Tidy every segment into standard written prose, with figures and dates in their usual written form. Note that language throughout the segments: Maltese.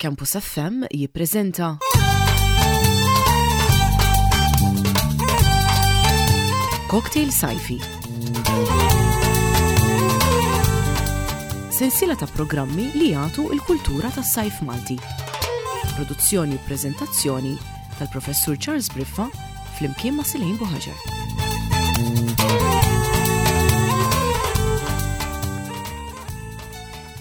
Campus FM jippreżenta Cocktail Sajfi. Sensiela ta' programmi li jagħtu l-kultura tas-sajf Malti. Produzzjoni u preżentazzjoni tal-Professur Charles Briffa flimkien ma' Silejn Buħaġar.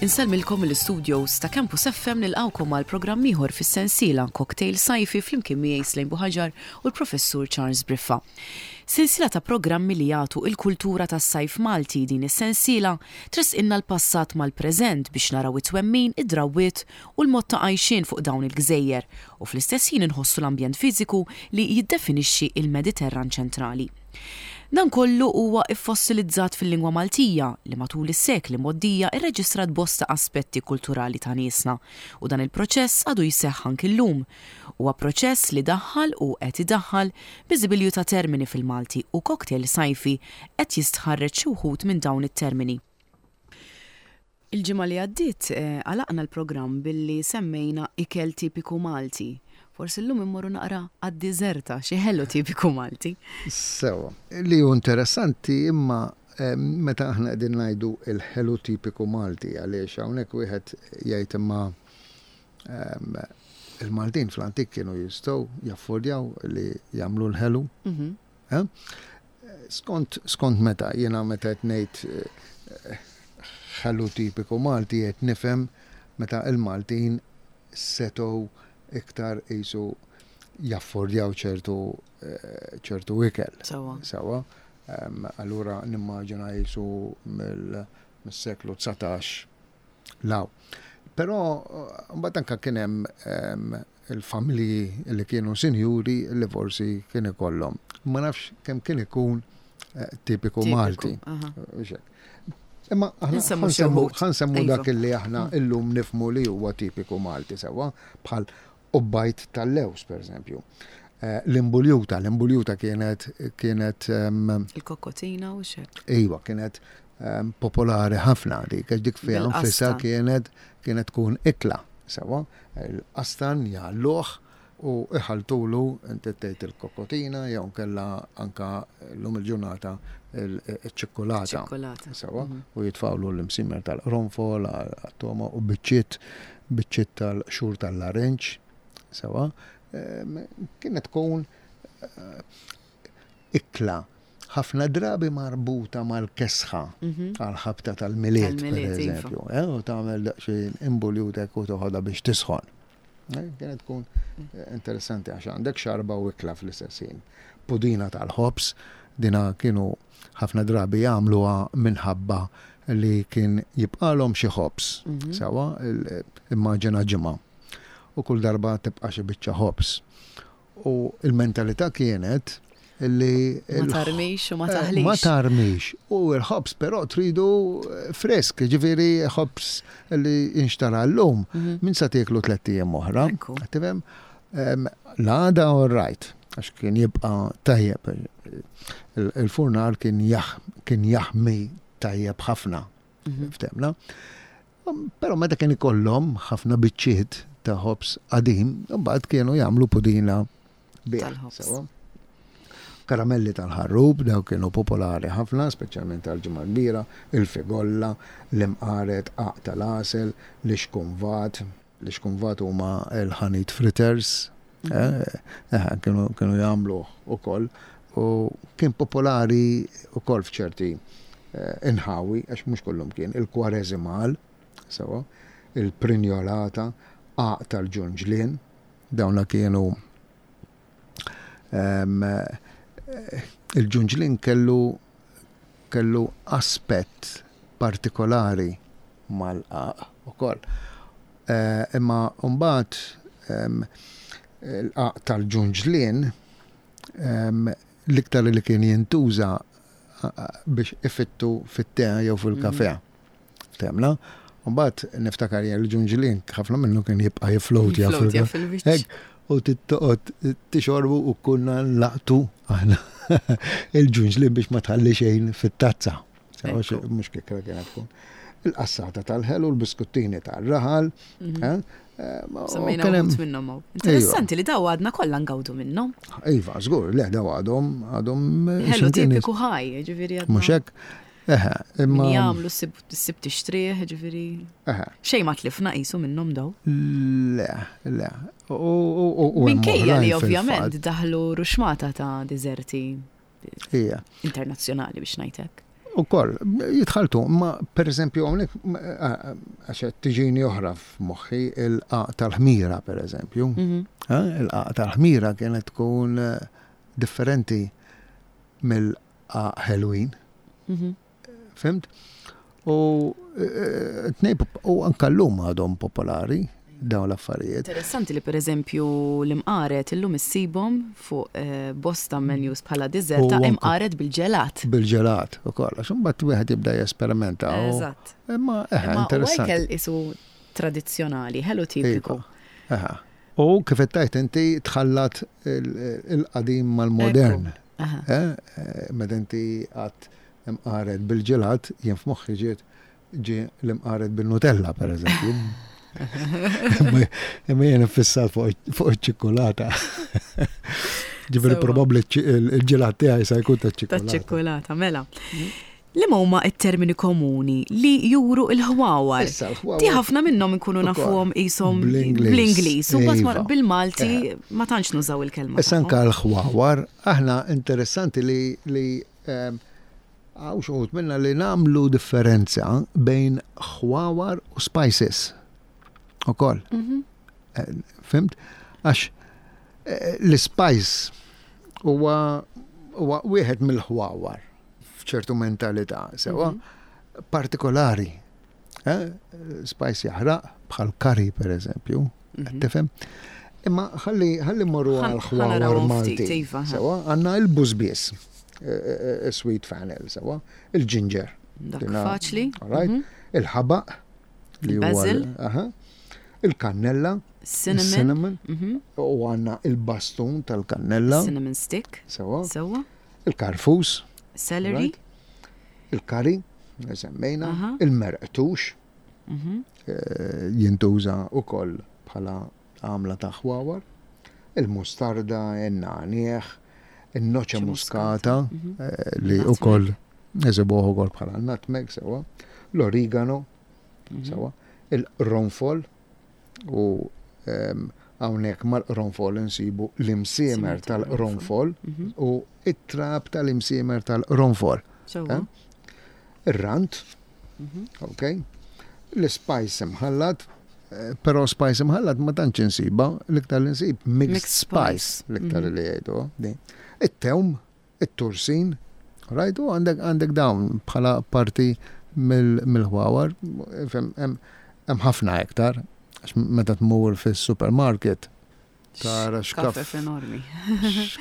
Insellmilkom mill-istudios ta' Campus FM nilqgħukom għal programm ieħor fis-sensiela Cocktail Sajfi flimkien miegħi Slejn Buħaġar u l-Professur Charles Briffa. Sensiela ta' programmi li jagħtu il-kultura tas-sajf Malti din is-sensiela tressqilna l-passat mal-preżent biex naraw it-twemmin, id-drawwiet u l-mod ta' għajxien fuq dawn il-gżejjer u fl-istess ħin inħossu l-ambjent fiżiku li jiddefinixxi l-Mediterran ċentrali. Dan kollu huwa ffossilizzat fil-lingwa Maltija li matul is-sekli mgħoddija rreġistrat bosta aspetti kulturali ta' niesna u dan il-proċess għadu jseħħ anki llum. Huwa proċess li daħħal u qed idaħħal biżibilju ta' termini fil-Malti u Cocktail Sajfi qed jistħarreġ xi wħud minn dawn it-termini. Il-ġimgħa li għaddiet għalaqna l-programm billi semmejna ikel tipiku Malti. Forsi llum immorru naqra għad-diżerta, xi ħelu tipiku Malti. Sewwa. Li hu interessanti imma meta aħna qegħdin ngħidu l-ħelu tipiku Malti għaliex hawnhekk wieħed jgħid imma il-Maltin fl-antik kienu jistgħu jaffordjaw li jagħmlu l-ħelu. Skont, skont meta, jiena meta qed ngħid ħelu tipiku Malti qed nifhem meta l-Maltin setgħu iktar qisu jaffordjaw ċertu ċertu ikel. Sewwa. Sewwa. Allura nimmaġina qisu mill-seklu 19 'l hawn. Però mbagħad anke kien hemm il-familji li kienu sinjuri li forsi kien ikollhom. Ma nafx kemm kien ikun eh, tipiku Malti. Imma ħansemmu iva. dak li aħna mm. illum nifmu li huwa tipiku Malti sewwa bħal ubbajt tal-lews per eżempju. Eh, l-imbuljuta, l-imbuljuta kienet kienet Il-kokkotina u xek. Iva, kienet popolari ħafna dik, għax dik fiha nfisha kienet kienet tkun ikla. Sewa, il-qastan jgħalluh u iħaltulu inti tgħid il-kokotina jew kella anka llum il-ġurnata il-ċikkulata. Sewa, mhm. u jitfawlu l-imsimer tal-qronfol, għat-toma u biċċiet biċċiet tal-xur tal-larinġ. Sewa, kienet tkun eh, ikla ħafna drabi marbuta mal-kesħa għall-ħabta tal-Milied, per iva. eżempju. Eh, u tagħmel daqsxejn imbuljutek u toħodha biex tisħon. Eh, kienet tkun eh, interessanti għax għandek xarba u ikla fl-istess ħin. Pudina tal-ħobż, dina kienu ħafna drabi jagħmluha minħabba li kien jibqalhom xi ħobż. Mhm. Sawa, immaġina ġimgħa. U kull darba tibqa' xi biċċa ħobż. U il-mentalità kienet li. Ma tarmix u ma eh, taħlix. Ma tarmix. U l-ħobż però tridu eh, frisk, ġifieri ħobż li jinxtara llum. Mhm. Min sa tieklu tlett ijiem oħra. Tifhem? L-għada all right, għax kien jibqa' tajjeb. Il-furnar kien jaħmi tajjeb ħafna. Mhm. Ftemna. Però meta kien ikollhom ħafna biċċiet ta' ħobż qadim, imbagħad kienu jagħmlu pudina bih. Karamelli tal-ħarrub, daw kienu popolari ħafna, speċjalment għal-Ġimgħa Kbira, il-figolla, l-imqaret, qaq tal-għasel, l-ixkunvat. L-ixkunvat huma l-ħanit fritters, mhm. eh, eh, kienu jagħmluh ukoll u kien popolari ukoll f'ċerti eh, inħawi, għax mhux kullum kien, il-kwareżimal, sewa, il-prinjolata, għaq tal-ġunġlien, dawna kienu ehm, il-ġunġlien kellu kellu aspett partikolari mal-qaq ukoll. Eh, imma mbagħad ehm, l-qaq tal-ġunġlien L-iktar li kien jintuża biex ifittu fit-te jew fil-kafe. Mhm. Temna. Mbagħad niftakar jien l-ġunġlin ħafna minnu kien jibqa' jiflowtja fil-wiċċ. U tittoqgħod tixorbu u kunna nlaqtu aħna il-ġunġlin biex ma tħalli xejn fit-tazza. Mhux kikra kienet tkun. Il-qassata tal-ħelu, l-biskuttini tal-raħal, mhm. eh? Semmejna uħud minnhom hawn. Interessanti li daw għadna kollha ngawdu minnhom. Iva, żgur, le daw għadhom għadhom. Ħelu tipiku ħaj, ġifieri għadna. Mhux hekk. Eħe, imma. Jagħmlu ssib tixtrih, ġifieri. Eħe. Xejn ma tlifna qisu minnhom daw. Le, le. U Minkejja li ovvjament daħlu ruxmata ta' diżerti internazzjonali biex ngħid hekk. Ukoll, jitħalltu, ma per eżempju hawnhekk għax qed tiġini oħra f'moħħi il-qaq tal-ħmira per eżempju. Mhm. Il-qaq tal-ħmira kienet tkun eh, differenti mill-qaq ħelwin. Mhm. Fimt? U eh, tnej u anka llum għadhom popolari dawn l-affarijiet. Interessanti li pereżempju l-imqaret illum issibhom fuq eh, bosta menus bħala dessert ta' imqaret bil-ġelat. Bil-ġelat ukoll, għax imbagħad wieħed jibda jesperimenta. Eżatt. Imma eh, interessanti. Ikel isu tradizzjonali, ħelu tipiku. Iva, U kif qed tgħid inti tħallat il-qadim mal-modern. Eh, meta inti għad imqaret bil-ġelat, jien f'moħħi ġiet ġie l-imqaret bin-Nutella, per eżempju. Imma jien iffissat fuq iċ-ċikkulata. Ġifieri probabbli il-ġelat tiegħi se jkun taċ-ċikkulata. Taċ-ċikkulata, mela. Liema huma t-termini komuni li juru l-ħwawar? Issa, l-ħwawar. Di ħafna minnhom inkunu nafuhom qishom bl-Ingliż u mbagħad bil-Malti ma tantx nużaw il-kelma. Issa anke l-ħwawar, aħna interessanti li ehm, hawn xi wħud minna li nagħmlu differenza bejn ħwawar u spices. Ukoll. Mhm. Eh, fimt? Għax eh, l-spice huwa wieħed mill-ħwawar. f'ċertu mentalità, sewa, mhm. partikolari. Eh? Spice jaħraq, bħal kari per eżempju, mhm. tifhem? Imma ħalli ħalli morru għal ħwawar Malti. Iva, sewa, għandna il-bużbies, eh, eh, sweet fennel, sewa, il-ġinġer. Dak faċli. Mhm. Il-ħabaq. Il-basil. Il-kannella. Cinnamon. U għanna il-bastun tal-kannella. Cinnamon stick. Sewa. Sewa. Il-karfus. Celery. Il-kari, semmejna. Il-merqtux. Mhm. Eh, jintuża ukoll bħala għamla ta' ħwawar. Il-mustarda, in-nagħniegħ, in-noċe muskata mhm. eh, li ukoll eżibuh ukoll bħala nutmeg sewa, l-origano mhm. sewa, il-qronfol U hawnhekk mal-qronfol insibu l-imsiemer tal-qronfol mhm. u it-trab tal-imsiemer tal-qronfol. Eh? Ir-rant, mhm. ok? L-spice imħallat, eh, però spice imħallat ma tantx insiba, l-iktar li nsib mixed spice, l-iktar mhm. li jgħidu. It-tewm, it-tursin, right? U għandek għandek dawn bħala parti mill-ħwawar, hemm ħafna iktar, għax meta tmur fis-supermarket tara xkaf. enormi.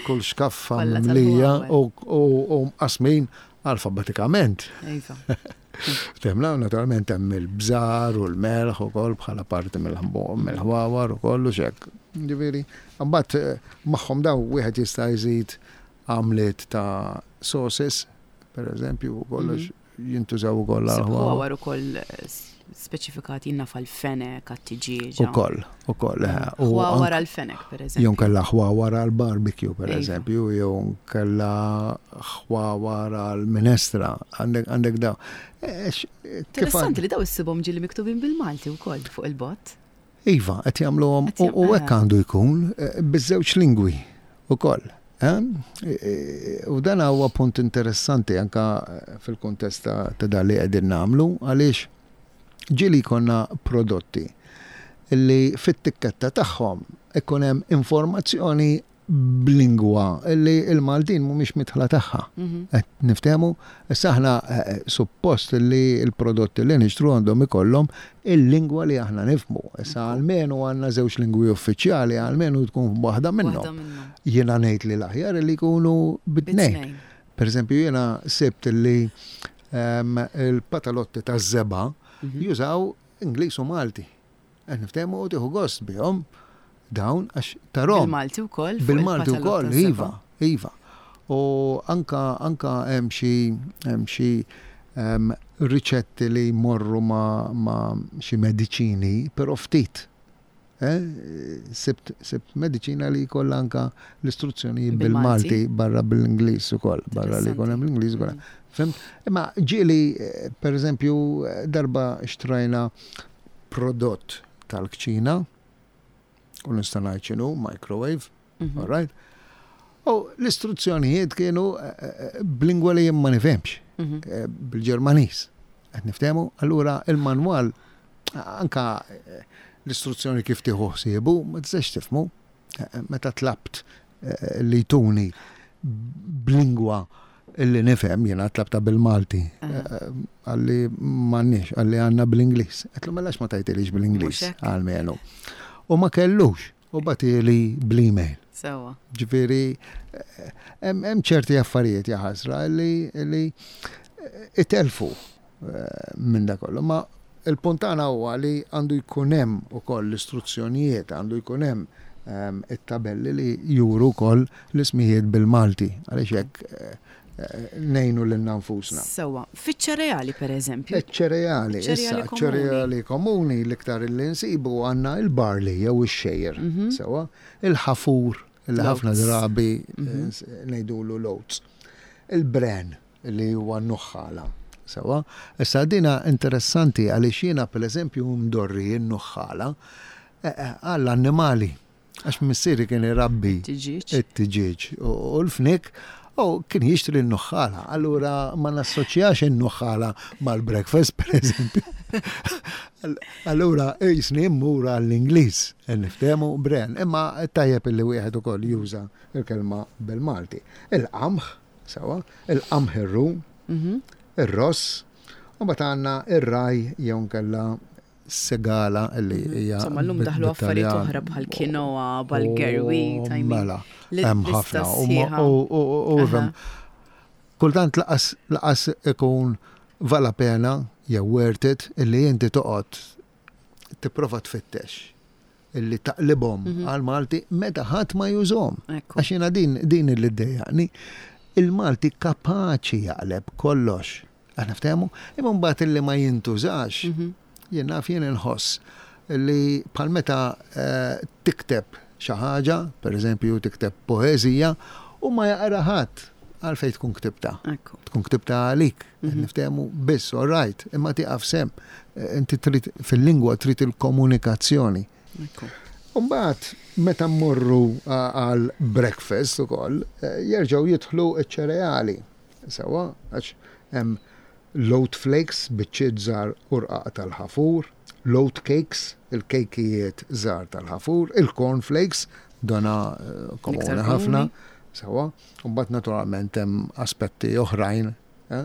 Kull xkaffa mimlija u mqasmin alfabetikament. Iva. Temla, naturalment hemm il-bżar u l-melħ ukoll bħala parti mill-ħwawar u kollu xek. Ġifieri, mbagħad eh, magħhom daw wieħed jista' jżid għamliet ta' sauces, per eżempju, u kollox mhm. jintużaw ukoll għal ħwawar ukoll eh, speċifikati jinna fal-fenek, għat-tiġieġa. Ukoll, ukoll. Eh, ħwawar għal-fenek, per eżempju. Jew kella ħwawar għal-barbecue, per iva. eżempju, jew kella ħwawar għal-minestra, għandek daw. Eh, Interessanti li daw issibhom ġieli miktubin bil-Malti wkoll fuq il-bot. Iva, qed jagħmluhom u hekk għandu jkun eh, biż-żewġ lingwi ukoll. Eh? Eh, u dan huwa punt interessanti anka fil-kuntest ta' dan li qegħdin nagħmlu għaliex ġieli jkollna prodotti li fit-tikketta tagħhom ikun hemm informazzjoni b'lingwa li l-Maltin mhumiex midħla tagħha. Mhm. Qed niftehmu? Issa aħna eh, eh, suppost li l-prodotti li nixtru għandhom ikollhom il-lingwa li aħna nifhmu. Issa almenu għandna żewġ lingwi uffiċjali, almenu tkun waħda minnhom. Jiena ngħid li l-aħjar li jkunu bit-tnejn. Per eżempju, jiena sibt li ehm, il-patalotti taż-żebgħa mhm. jużaw Ingliż u Malti. Qed niftehmu u tieħu gost bihom dawn għax tarhom. Bil-Malti wkoll. Bil-Malti wkoll, iva, iva. U anka anka hemm xi hemm xi ehm, riċetti li jmorru ma, ma xi mediċini, però ftit. Sibt, sibt mediċina li jkollha anka l-istruzzjonijiet bil-Malti barra bil-Ingliż ukoll, barra li jkun hemm l-Ingliż ukoll. Mm. Fhimt? Imma ġieli, per eżempju, darba xtrajna prodott tal-kċina, u nista' ngħid x'inhu, microwave, mhm. all right? U l-istruzzjonijiet kienu eh, eh, b'lingwa li jien ma nifhemx, mhm. eh, bil-Ġermaniż. Qed niftehmu? Allura il-manwal anka l-istruzzjoni kif tieħu ħsiebu ma tistax tifhmu. Meta tlabt li jtuni b'lingwa illi nifhem jiena tlabta bil-Malti. Qalli m'għandniex, qalli għandna bl-Ingliż. Għedtlu mela ma tajtilix bl-Ingliż għalmenu. U ma kellux, u bagħtieli bl-email. Sewwa. Ġifieri hemm ċerti affarijiet jaħasra li itelfu minn da kollu. Ma il-punt tagħna huwa li għandu jkun hemm ukoll l-istruzzjonijiet, għandu jkun hemm ehm, it-tabelli li juru wkoll l-ismijiet bil-Malti, għaliex hekk eh, eh, ngħinu lilna nfusna. Sewwa, fiċ-ċereali pereżempju. Iċ-ċereali, issa, ċereali komuni l-iktar li nsibu għandna il-barley jew ix-xejr, mhm. sewwa, il-ħafur li ħafna drabi mhm. eh, ngħidulu l-oats. Il-bran, li huwa n-nuħħala. Sewwa? Issa dina interessanti għaliex jiena pereżempju mdorri n-nuħħala eh, eh, għall-annimali. Għax missieri kien irabbi it-tiġieġ u l-fnik u kien jixtri n-nuħħala. Allura ma nassoċjax in-nuħħala mal-breakfast, per eżempju. Allura jisni mmur għall-Ingliż, niftehmu bren, imma tajjeb illi wieħed ukoll juża l-kelma bil-Malti. Il-qamħ, Sewwa, il-qamħ ir-rum, ir-ross, u mbagħad għandna ir-raj jew nkella segala li mhm. hija. Insomma, llum daħlu affarijiet oħra bħal kinoa, bħal gerwi, oh, Mela, hemm ħafna. U kultant laqas laqas ikun vala pena jew worth it illi inti toqgħod tipprova tfittex illi taqlibhom mhm. għal-Malti meta ħadd ma jużhom. Għax jiena din din li ddejjaqni. Il-Malti kapaċi jaqleb kollox. Aħna ftehmu, imma mbagħad illi ma jintużax, mhm. jien naf jien inħoss li bħal meta eh, tikteb xi ħaġa, pereżempju tikteb poeżija, u ma jaqra ħadd għalfejn tkun ktibta. Tkun ktibta għalik, mhm. niftehmu biss, all right, imma tieqaf sem. Eh, inti trid fil-lingwa trid il-komunikazzjoni. Umbagħad meta mmorru għal breakfast ukoll, eh, jerġgħu jidħlu ċ-ċereali. Sewwa, għax hemm l-oat flakes, biċċiet żgħar u rqaq tal-ħafur, l-oat cakes, il-kejkijiet żgħar tal-ħafur, il-corn flakes, dona eh, komuni ħafna, sewwa. Mbagħad naturalment hemm aspetti oħrajn eh,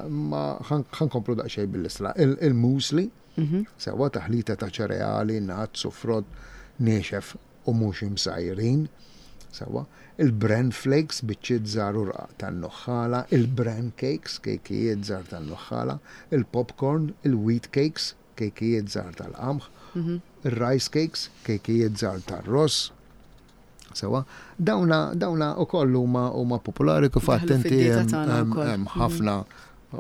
ma ħankomplu daqsxejn bil-isla. Il-muesli, mhm. sewwa taħlita ta' ċereali, nuts u frott niexef u mhux imsajrin, sewwa, il-bran flakes, biċċiet żgħar u rqaq tan-nuħħala, il-bran cakes, kejkijiet żgħar tan-nuħħala, il-popcorn, il-wheat cakes, kejkijiet żgħar tal-qamħ, mhm. ir-rice cakes, kejkijiet żgħar tar-ross, Sewa, dawna dawna ukoll huma huma popolari kif għadt inti hemm ħafna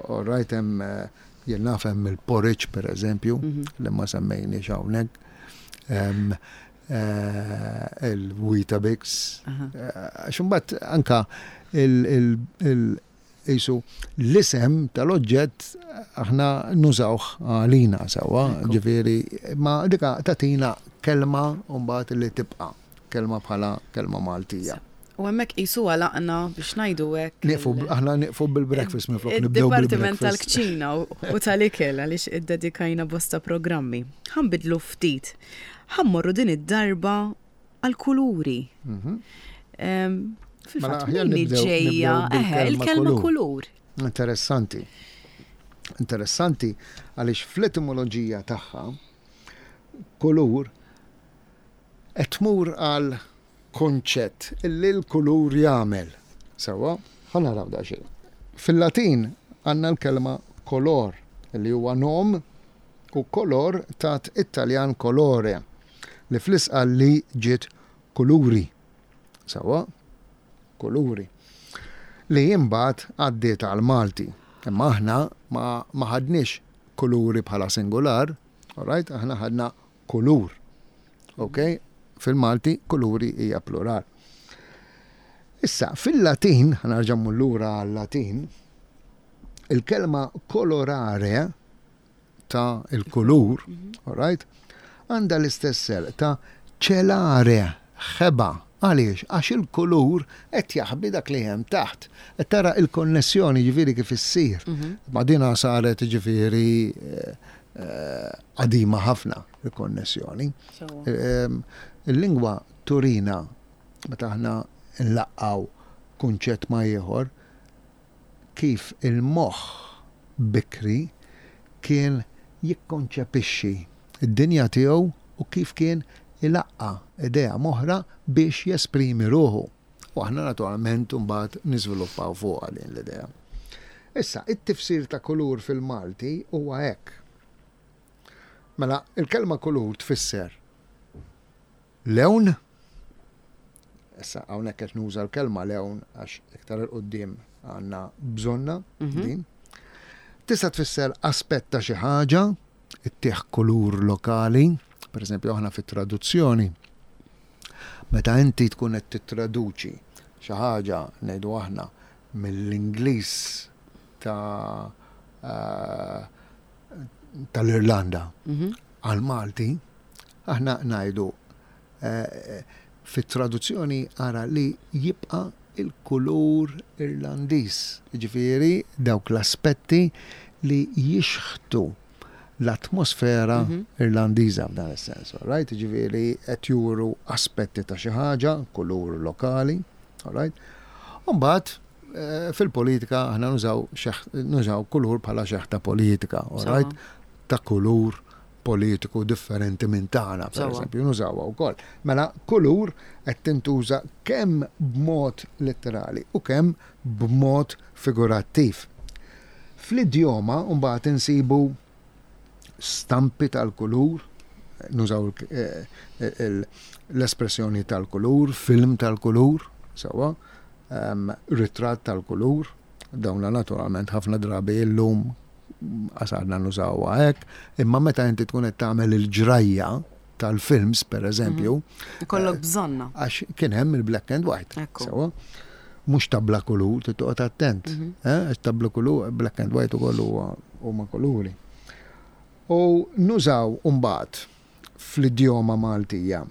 all right hemm eh, jien naf hemm il-porridge pereżempju mhm. li ma semmejniex hawnhekk. Eh, il-Weetabix. Eh, għax imbagħad anka il Qisu l-isem tal-oġġett aħna nużawh għalina sewwa, ġifieri ma dika tagħtina kelma mbagħad li tibqa' kelma bħala kelma Maltija. U hemmhekk qisu għalaqna biex ngħidu hekk. Nieqfu aħna nieqfu bil-breakfast minflok nibdew bil-Dipartiment tal-kċina u tal-ikel għaliex iddedikajna bosta programmi. Ħa nbiddlu ftit. Ħa mmorru din id-darba għall-kuluri. Mhm. Fil-fatt, mela, min ġejja il-kelma kulur. Interessanti. Interessanti għaliex fl-etimoloġija tagħha kulur qed tmur għal konċett illi l-kulur jagħmel. Sewwa, ħa naraw daqsxejn. Fil-Latin għandna l-kelma color li huwa nom u color tat it-Taljan colore li fl-Isqalli ġiet kuluri. Sewwa, kuluri. Li imbagħad għaddiet għall-Malti. Imma aħna ma, ma ħadniex kuluri bħala singular, all right, aħna ħadna kulur. Ok? Fil-Malti kuluri hija plural. Issa, fil-Latin, ħa nerġa' mmur lura għal-Latin, il-kelma colorare ta' il-kulur, all right, għandha l-istess serq ta' celare, ħeba. Għaliex? Għax il-kulur qed jaħbi dak li hemm taħt. Qed tara il-konnessjoni ġifieri kif issir. Ma dina saret ġifieri qadima ħafna il-konnessjoni. Il-lingwa turina meta aħna nlaqqgħu kunċett ma' ieħor, kif il-moħħ bikri kien jikkonċepixxi d-dinja tiegħu u kif kien ilaqqa' idea m'oħra biex jesprimi ruħu. U aħna naturalment imbagħad niżviluppaw fuqha din l-idea. Issa, it-tifsir ta' kulur fil-Malti huwa hekk. Mela, il-kelma kulur tfisser Lewn, issa hawnhekk qed nuża l-kelma lewn għax iktar 'il quddiem għandna bżonnha din. Tista' tfisser aspett ta' xi ħaġa, ittih kulur lokali, pereżempju aħna fit-traduzzjoni, meta inti tkun qed tittraduċi xi ħaġa ngħidu aħna mill-Ingliż ta' tal-Irlanda għall-Malti, Aħna ngħidu fit-traduzzjoni ara li jibqa' il-kulur Irlandiż, jiġifieri dawk l-aspetti li jixħtu l-atmosfera Irlandiża f'dan is-sens, all right? Jiġifieri qed juru aspetti ta' xi ħaġa, kulur lokali, all right? U mbagħad fil-politika aħna nużaw nużaw kulur bħala xeħta politika, all right? Ta' kulur politiku differenti minn tagħna, pereżempju, nużawha wkoll. Mela kulur qed tintuża kemm b'mod letterali u kemm b'mod figurattiv. Fl-idjoma mbagħad insibu stampi tal-kulur, nużaw eh, l-espressjoni tal-kulur, film tal-kulur, sewwa, ehm, ritratt tal-kulur, dawna naturalment ħafna drabi illum għasadna nużawha hekk, imma meta inti tkun qed tagħmel il-ġrajja tal-films per eżempju. Mhm. Ikollok eh, bżonna. Għax kien hemm il-black and white. Sewa. Mhux tabla kulur, tittoqgħod attent. Mhm. Eh, għax tabla kulur, black and white ukoll huma kuluri. U nużaw mbagħad fl-idjoma Maltija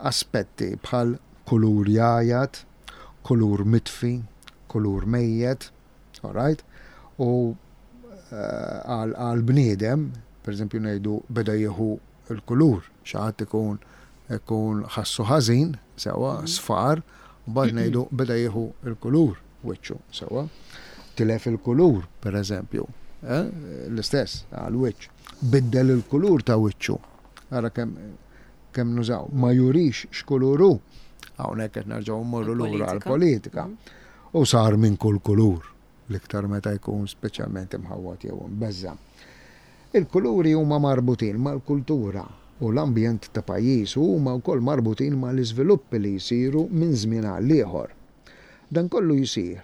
aspetti bħal kulur jajat, kulur mitfi, kulur mejjet, All right? U eh, għal bniedem, per eżempju ngħidu beda jieħu l-kulur, xi ħadd ikun ikun ħassu ħażin, sewwa, mhm. sfar, u bad ngħidu beda jieħu l-kulur wiċċu, sewwa. Tilef il-kulur, per eżempju, eh, l-istess għal wiċċ. Biddel il-kulur ta' wiċċu. Ara kemm kemm nużaw, ma jurix x'kulur hu. Hawnhekk qed nerġgħu mmorru lura għall-politika. Mhm. U sar minn kull kulur, l-iktar meta jkun speċjalment imħawwad jew imbeżża'. Il-kuluri huma marbutin mal-kultura u l-ambjent ta' pajjiż u huma wkoll marbutin mal-iżviluppi li jsiru minn żmien għall-ieħor. Dan kollu jsir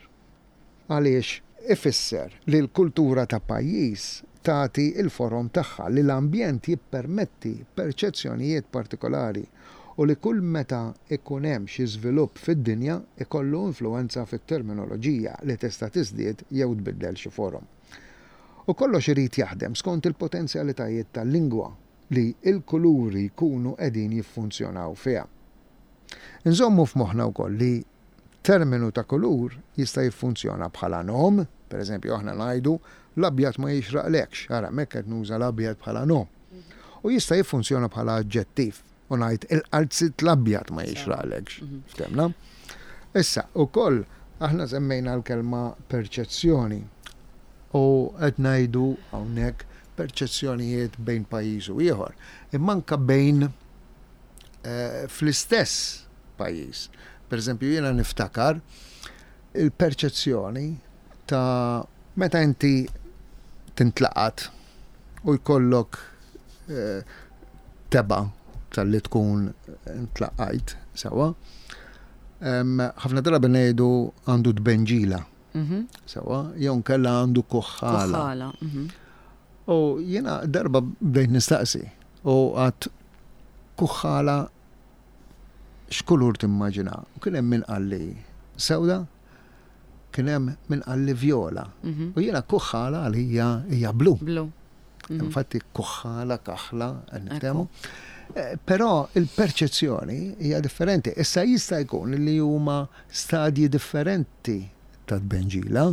għaliex ifisser li l-kultura ta' pajjiż tagħti l-forom tagħha, li l-ambjent jippermetti perċezzjonijiet partikolari u li kull meta jkun hemm xi żvilupp fid-dinja jkollu influwenza fit-terminoloġija li tista' tiżdied jew tbiddel xi forom. U kollox irid jaħdem skont il-potenzjalitajiet tal-lingwa li l-kuluri jkunu qegħdin jiffunzjonaw fiha. Inżommu f'moħħna wkoll li terminu ta' kulur jista' jiffunzjona bħala nom, pereżempju aħna ngħidu l-abjad ma jixraqlekx, ara hemmhekk qed nuża l-abjad bħala nom. U jista' jiffunzjona bħala aġġettiv u ngħid il-qalziet l-abjad ma jixraqlekx. Mhm. Ftemna? Issa, ukoll aħna semmejna l-kelma perċezzjoni u qed ngħidu hawnhekk perċezzjonijiet bejn pajjiż u ieħor, imma anke bejn eh, fl-istess pajjiż. Per eżempju, jiena niftakar il-perċezzjoni ta' meta inti tintlaqat u jkollok eh, teba tal-li tkun intlaqajt sewa. Ħafna drabi ngħidu għandu tbenġila. Mhm. Sewa, jew nkella għandu kuħħala. Mhm. U jiena darba bdejt nistaqsi u għat Kuħħala x'kulur timmaġina? U kien hemm min qalli sewda, kien hemm min qalli vjola. U jiena kuħħala għalija hija blu. Blu. Infatti kuħħala, kaħla, niftehmu. Però il-perċezzjoni hija differenti. Issa jista' jkun li huma stadji differenti ta' tbenġila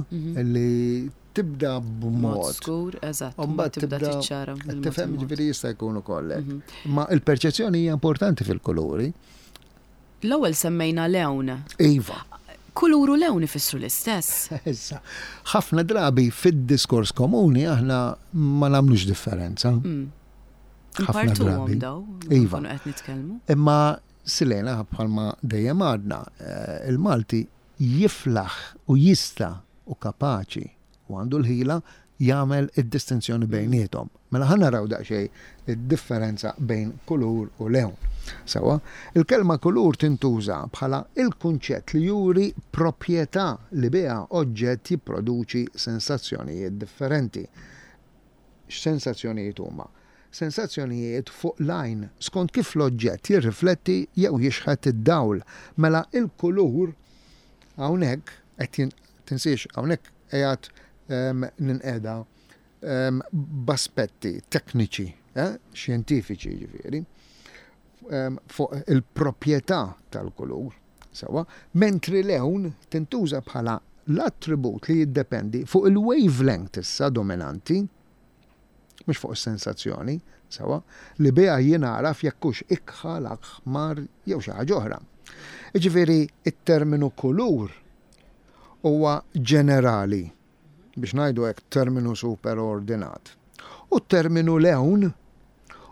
li tibda b'mod. Skur, eżatt. U mbagħad tibda tiċċara. Tifhem ġifieri jista' jkun ukoll hekk. Ma il-perċezzjoni hija importanti fil-kuluri. L-ewwel semmejna lewn. Iva. Kulur u lewn ifissru l-istess. Issa, ħafna drabi fid-diskors komuni aħna ma nagħmlux differenza. Ħafna drabi. Daw, iva. Qed nitkellmu. Imma Silena bħalma dejjem għadna, il-Malti jiflaħ u jista' u kapaċi u għandu l-ħila jagħmel id-distinzjoni bejniethom. Mela ħa naraw daqsxejn id-differenza bejn kulur u lewn. Sewwa, il-kelma kulur tintuża bħala il-kunċett li juri proprjetà li biha oġġett jipproduċi sensazzjonijiet differenti. X'sensazzjonijiet huma? Sensazzjonijiet fuq l-għajn skont kif l-oġġett jirrifletti jew jixħet id-dawl. Mela il-kulur hawnhekk qed tinsiex hawnhekk qiegħed ninqeda b'aspetti tekniċi, xjentifiċi jiġifieri, fuq il-proprjetà tal-kulur, sewwa, mentri lewn tintuża bħala l-attribut li jiddependi fuq il-wavelength issa dominanti, mhux fuq is-sensazzjoni, sewwa, li biha jingħaraf jekk hux ikħal, aħmar jew xi ħaġa oħra. Jiġifieri t-terminu kulur huwa ġenerali, biex ngħidu hekk terminu superordinat. U t-terminu lewn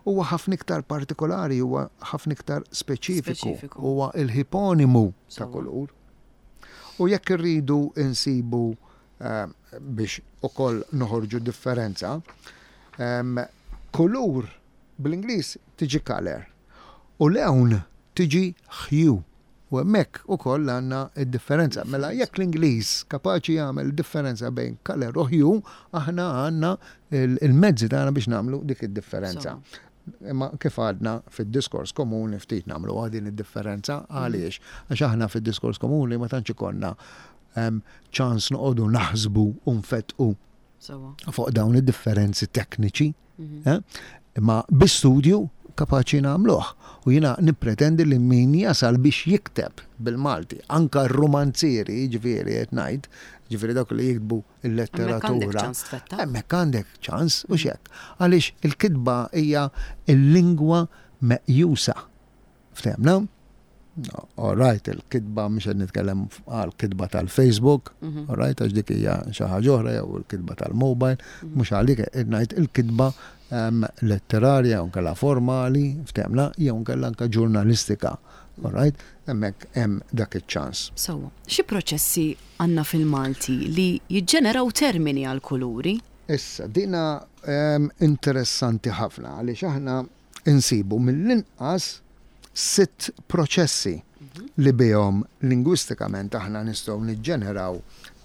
huwa ħafna iktar partikolari, huwa ħafna iktar speċifiku, huwa l-ħiponimu ta' kulur. U jekk irridu nsibu biex ukoll noħorġu differenza, kulur bl-Ingliż tiġi colour u lewn tiġi hue. U hemmhekk ukoll għandna d-differenza. Mela jekk l-Ingliż kapaċi jagħmel differenza bejn colour u hue, aħna għandna il-mezzi tagħna biex nagħmlu dik id-differenza. Imma kif għadna fid-diskors komuni ftit nagħmluha din id-differenza għaliex? Għax aħna fid-diskors komuni ma tantx ikollna ċans noqogħdu naħsbu u nfettqu fuq dawn id-differenzi tekniċi. Mhm. Eh? Imma bi studju kapaċi nagħmluh. U jiena nippretendi li min jasal biex jikteb bil-Malti, anka r-rumanzieri, ġifieri qed ngħid, ġifieri dawk li jiktbu il-letteratura. Hemmhekk għandek ċans u xek. Għaliex il-kitba hija l-lingwa meqjusa. Ftehmna? All right, il-kitba mhux qed nitkellem għal kitba tal-Facebook, mhm. all right, għax dik hija xi ħaġa oħra jew il-kitba tal-mobile, mhm. mhux għalik qed ngħid il-kitba ehm, letterarja jew nkella formali, ftehmna, jew nkella anke ġurnalistika. All right, hemmhekk hemm dak iċ-ċans. Sewwa, xi proċessi għandna fil-Malti li jiġġeneraw termini għal kuluri? Issa, dina ehm, interessanti ħafna għaliex aħna insibu mill-inqas sitt proċessi li bihom lingwistikament aħna nistgħu niġġeneraw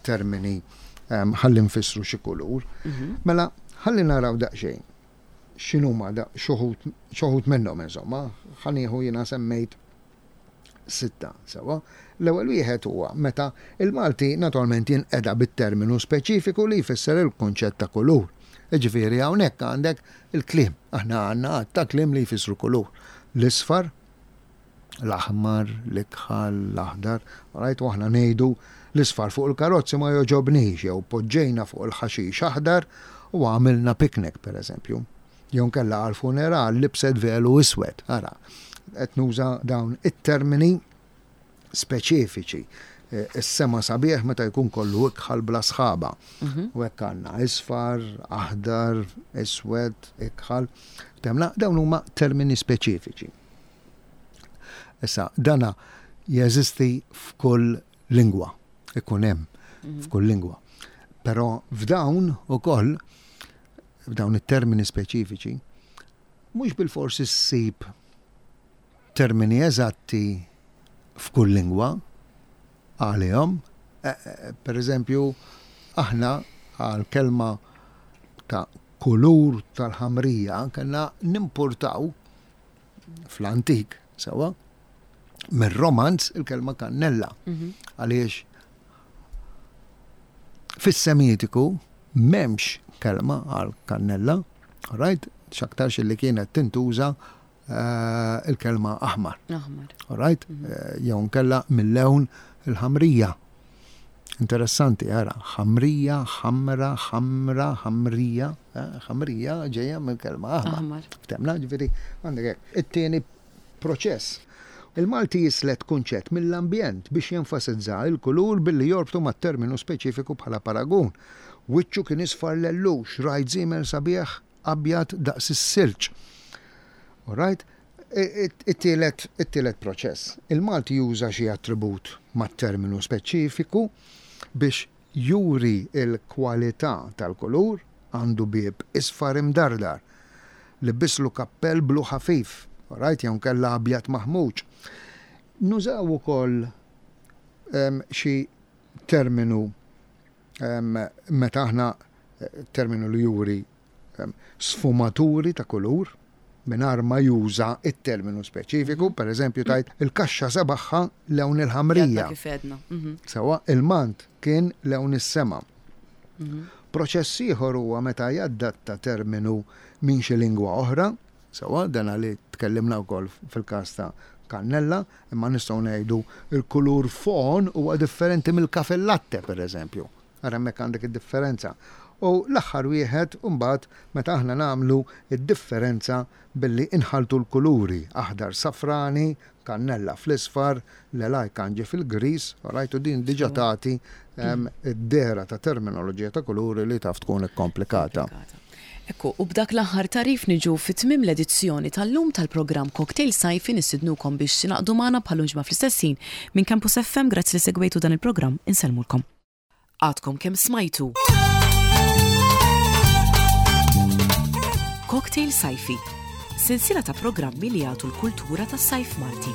termini ehm, ħalli nfissru xi kulur. Mhm. Mela, ħalli naraw daqsxejn x'inhuma xi wħud minnhom insomma, ħa nieħu jiena semmejt sitta, sewwa. L-ewwel wieħed huwa meta il-Malti naturalment jinqeda bit-terminu speċifiku li jfisser il-kunċett ta' kulur. Jiġifieri hawnhekk għandek il-kliem. Aħna għandna għadd ta' kliem li jfissru kulur. L-isfar, l-aħmar, l-ikħal, l-aħdar, right? U aħna ngħidu l-isfar fuq il-karozzi ma jogħġobnix jew poġġejna fuq il-ħaxix aħdar u għamilna picnic pereżempju. Jew inkella għall-funeral libset velu iswed. Ara, qed nuża dawn it-termini speċifiċi. E, is-sema sabiħ meta jkun kollu ikħal bla sħaba. Mhm. U hekk għandna isfar, aħdar, iswed, ikħal. Temla, dawn huma termini speċifiċi. Issa, dana jeżisti f'kull lingwa, ikun hemm mhm. f'kull lingwa. Però f'dawn ukoll f'dawn it-termini speċifiċi, mhux bilfors issib termini eżatti f'kull lingwa għalihom. E, e, per eżempju, aħna għal kelma ta' kulur tal-ħamrija kellna nimpurtaw. fl-antik, sewwa, mir-Romanz il-kelma kannella. Mhm. Għaliex fis-Semitiku m'hemmx kelma għal kannella, right? X'aktarx li kienet tintuża eh, il-kelma aħmar. Aħmar. Right? Mhm. Eh, jew nkella mill-lewn il-ħamrija. Interessanti, ara, ħamrija, ħamra, ħamra, ħamrija, eh, ħamrija ġejja mill-kelma aħmar. Ftemna, ġifieri, għandek hekk. It-tieni proċess. Il-Malti jislet kunċett mill-ambjent biex jenfasizza l-kulur billi jorbtu ma' terminu speċifiku bħala paragun. Wiċċu kien isfar lellux, rajt żiemel sabiħ abjad daqs is-silġ. All right? It-tielet, it-tielet proċess. Il-Malti juża xi attribut mat-terminu speċifiku biex juri l-kwalità tal-kulur, għandu bieb isfar imdardar, libbislu kappell blu ħafif, all right, jew inkella abjad maħmuġ. Nużaw ukoll xi terminu meta aħna terminu li juri sfumaturi ta' kulur mingħajr ma juża t-terminu speċifiku, per eżempju tgħid il-kaxxa sebaħha lewn il-ħamrija. Kif għedna. Mhm. Sewwa, il-mant kien lewn is-sema. Mhm. Proċess ieħor huwa meta jadatta terminu minn xi lingwa oħra, sewwa dana li tkellimna wkoll fil-każ ta' kannella, imma nistgħu ngħidu il-kulur fon huwa differenti mill-kafe latte, per eżempju. Ara hemmhekk għandek id-differenza. U l-aħħar wieħed imbagħad meta aħna nagħmlu d-differenza billi inħalltu l-kuluri, aħdar safrani, kannella fl-isfar, l-elaj kanġi fil-griż, alright, u din diġà tagħti d-dehra ta' terminoloġija ta' kuluri li taf tkun ikkomplikata. Ekku, u b'dak l-aħħar tagħrif niġu fi tmiem l-edizzjoni tal-lum tal-programm Cocktail Sajfi nistidnukom biex tingħaqdu magħna bħal ġimgħa fl-istess ħin minn Campus FM grazzi li segwejtu dan il-programm insellmulkom. Għadkom kemm smajtu. Cocktail Sajfi, sensiela ta' programmi li jagħtu l-kultura tas-sajf Malti.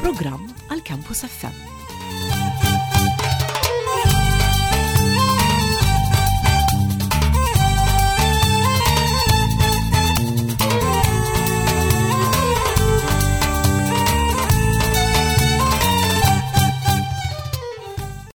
Programm għal Campus FM.